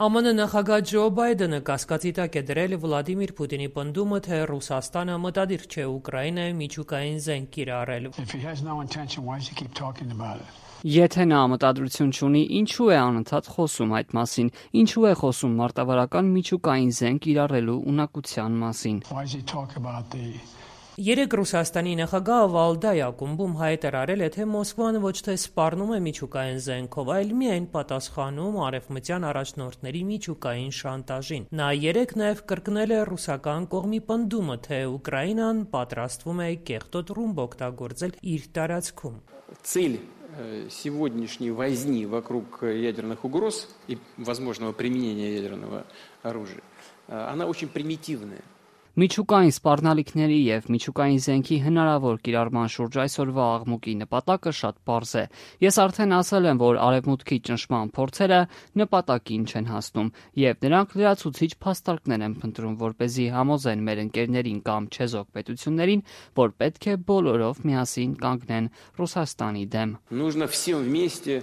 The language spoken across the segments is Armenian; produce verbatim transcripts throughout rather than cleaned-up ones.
Է Մ Ն նախագահ Ջո Բայդենը կասկածի տակ է դրել Վլադիմիր Պուտինի պնդումը, թե Ռուսաստանը մտադիր չէ Ուկրաինայում միջուկային զենք կիրառել։ Եթե նա մտադրություն չունի, ինչու է անընդհատ խոսում այդ մասին, ինչու է խոսում մարտավարական միջուկային զենք կիրառելու ունակության մասին։ Երեկ Ռուսաստանի նախագահը Վալդայ ակումբում հայտարարել է, թե Մոսկվան ոչ թե սպառնում է միջուկային զենքով, այլ միայն պատասխանում արևմտյան առաջնորդների միջուկային շանտաժին։ Նա երեկ նաև կրկնել է ռուսական կողմի պնդումը, թե Ուկրաինան պատրաստվում է կեղտոտ ռումբ օգտագործել իր տարածքում։ Цель сегодняшней возни вокруг ядерных угроз и возможного применения ядерного оружия, она очень примитивная. Միջուկային սպառնալիքների եւ միջուկային զենքի հնարավոր կիրառման շուրջ այսօրվա աղմուկի նպատակը շատ պարզ է։ Ես արդեն ասել եմ, որ արևմուտքի ճնշման փորձերը նպատակին չեն հասնում, եւ նրանք լրացուցիչ փաստարկներ են փնտրում, որպեսզի համոզեն մեր ընկերներին կամ չեզոք պետություններին, որ պետք է բոլորով միասին կանգնեն Ռուսաստանի դեմ։ Нужно всем вместе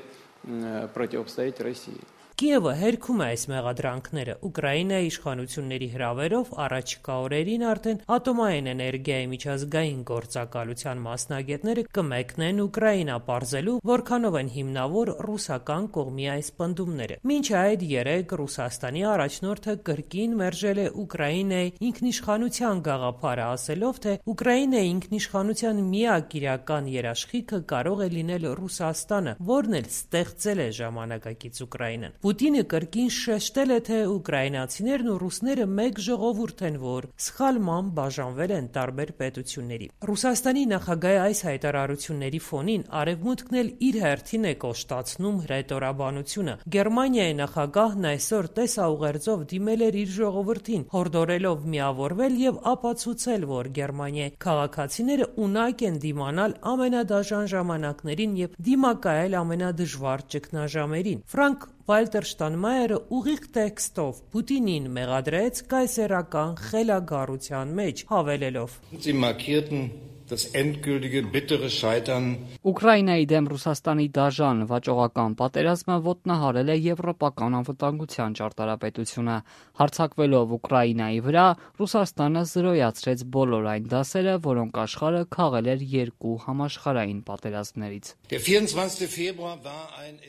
противостоять России. Կիևը հերքում է այս մեղադրանքները։ Ուկրաինայի իշխանությունների հրավերով առաջիկա օրերին արդեն ատոմային էներգիայի միջազգային գործակալության մասնագետները կմեկնեն Ուկրաինա պարզելու, որքանով են հիմնավոր ռուսական կողմի այս պնդումները։ Մինչ այդ երեկ Ռուսաստանի առաջնորդը կրկին մերժել է Ուկրաինայի ինքնիշխանության գաղափարը, ասելով, թե Ուկրաինայի ինքնիշխանության միակ իրական երաշխիքը կարող է լինել Ռուսաստանը, որն էլ ստեղծել է ժամանակակից Ուկրաինան։ Պուտինը կրկին շեշտել է, թե ուկրաինացիներն ու ռուսները մեկ ժողովուրդ են, որ սխալմամբ բաժանվել են տարբեր պետությունների։ Ռուսաստանի նախագահի այս հայտարարությունների ֆոնին արևմուտքն էլ իր հերթին է կոշտացնում հռետորաբանությունը։ Գերմանիայի նախագահն այսօր տեսաուղերձով դիմել էր իր ժողովրդին, հորդորելով միավորվել եւ ապացուցել, որ Գերմանիայի քաղաքացիները ունակ են դիմանալ ամենադաժան ժամանակներին եւ դիմակայել ամենադժվար ճգնաժամերին։ Ֆրանկ Վալտեր Շտանմայերը ուղիղ տեքստով Պուտինին մեղադրեց կայսերական խելագարության մեջ, հավելելով. Ուկրաինայի դեմ Ռուսաստանի դաժան վաճողական պատերազմը ոտնահարել է եվրոպական անվտանգության ճարտարապետությունը։ Հարձակվելով Ուկրաինայի վրա, Ռուսաստանը զրոյացրեց բոլոր այն դասերը, որոնք աշխարհը քաղել էր երկու համաշխարհային պատերազմներից։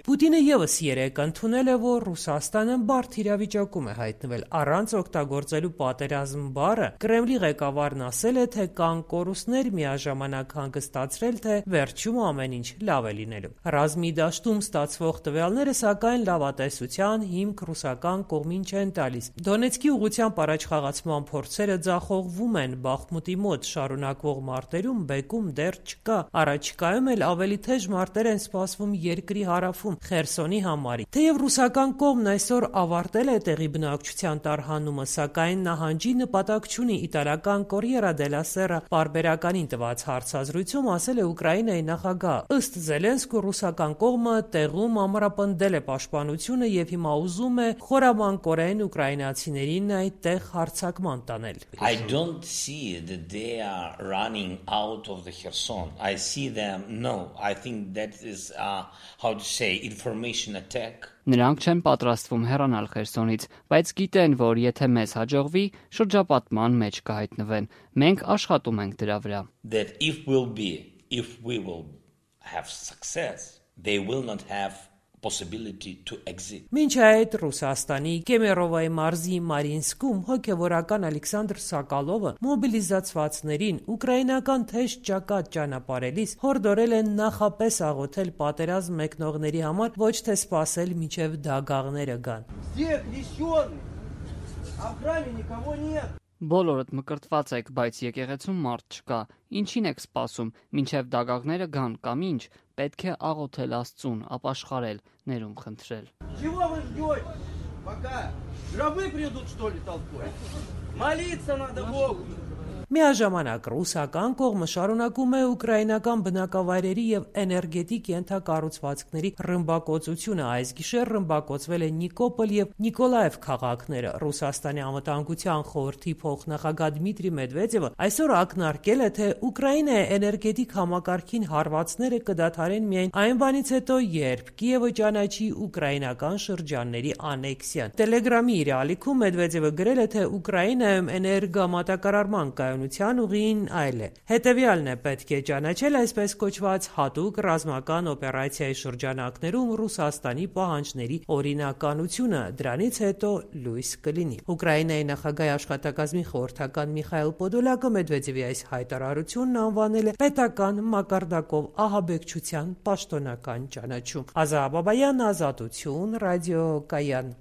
Պուտինը ևս երեկ ընդունել է, որ Ռուսաստանը բարդ իրավիճակում է հայտնվել։ Առանց օգտագործելու պատերազմ բառը Կրեմլի ղեկավարն ասել է, թե կան կորուստներ միաժամանակ հանգստացրել, թե վերջում ամեն ինչ լավ է լինելու։ Ռազմի դաշտում ստացվող տվյալները սակայն լավատեսության հիմք ռուսական կողմին չեն տալիս։ Դոնեցկի ուղղությամբ առաջխաղացման փորձերը ձախողվում են, Բախմուտի մոտ շարունակվող մարտերում բեկում դեռ չկա։ Առաջիկայում էլ ավելի թեժ մարտեր են սպասվում երկրի հարավում Խերսոնի համարի։ Թեև ռուսական կողմն այսօր ավարտել է տեղի բնակչության տարհանումը, սակայն նահանջի նպատակ չունի։ Իտալական Կորիերա դելա Սերա պարբերականին տված հարցազրույցում ասել է Ուկրաինայի նախագահ։ Ըստ Զելենսկու ռուսական կողմը տեղում ամրապնդել է պաշտպանությունը եւ հիմա ուզում է խորամանկորեն ուկրաինացիներին այդտեղ հարձակման տանել։ I don't see that they are running out of the Kherson. I see them no. I think that is uh, how to say information attack. Նրանք չեն պատրաստվում հեռանալ Խերսոնից, բայց գիտեն, որ եթե մեզ հաջողվի, շրջապատման մեջ կհայտնվեն։ Մենք աշխատում ենք դրա վրա։ That if will be, if we will have success, they will not have possibility to exit. Մինչ այդ Ռուսաստանի Կեմերովայի մարզի Մարինսկում հոգևորական Ալեքսանդր Սակալովը մոբիլիզացվածներին ուկրաինական թեժ ճակատ ճանապարհելիս հորդորել են նախապես աղոթել պատերազմ մեկնողների համար, ոչ թե սпасել մինչև դագաղները գան։ Բոլորդ մկրտված եք, բայց եկեղեցում մարդ չկա։ Ինչին եք սպասում, մինչև դագաղները գան կամ ինչ, պետք է աղոթել Աստծուն, ապաշխարել, ներում խնդրել։ Чего вы ждете? Пока гробы придут, что ли, толпой? Молиться надо Богу. Միաժամանակ ռուսական կողմը շարունակում է ուկրաինական բնակավայրերի եւ էներգետիկ ենթակառուցվածքների ռմբակոծությունը։ Այս գիշեր ռմբակոծվել է Նիկոպոլ եւ Նիկոլաև քաղաքները։ Ռուսաստանի անվտանգության խորհրդի փոխնախագահ Դմիտրի Մեդվեդևը այսօր ակնարկել է, թե Ուկրաինայի էներգետիկ համակարգին հարվածները կդադարեն միայն այն բանից հետո, երբ Կիևը ճանաչի ուկրաինական շրջանների անեքսիան։ Տելեգրամի իր ալիքում Մեդվեդևը գրել է, թե Ուկրաինայում էներգամատակարարման կայունության ուղին այլ է։ Հետևյալն է պետք է ճանաչել այսպես կոչված հատուկ ռազմական օպերացիայի շրջանակներում Ռուսաստանի պահանջների օրինականությունը, դրանից հետո լույս կլինի։ Ուկրաինայի նախագահի աշխատակազմի խորհրդական Միխայել Պոդոլյակը Մեդվեդևի այս հայտարարությունն անվանել է պետական մակարդակով ահաբեկչության պաշտոնական ճանաչում։ Ազա Բաբայան, Ազատություն, ռադիոկայան։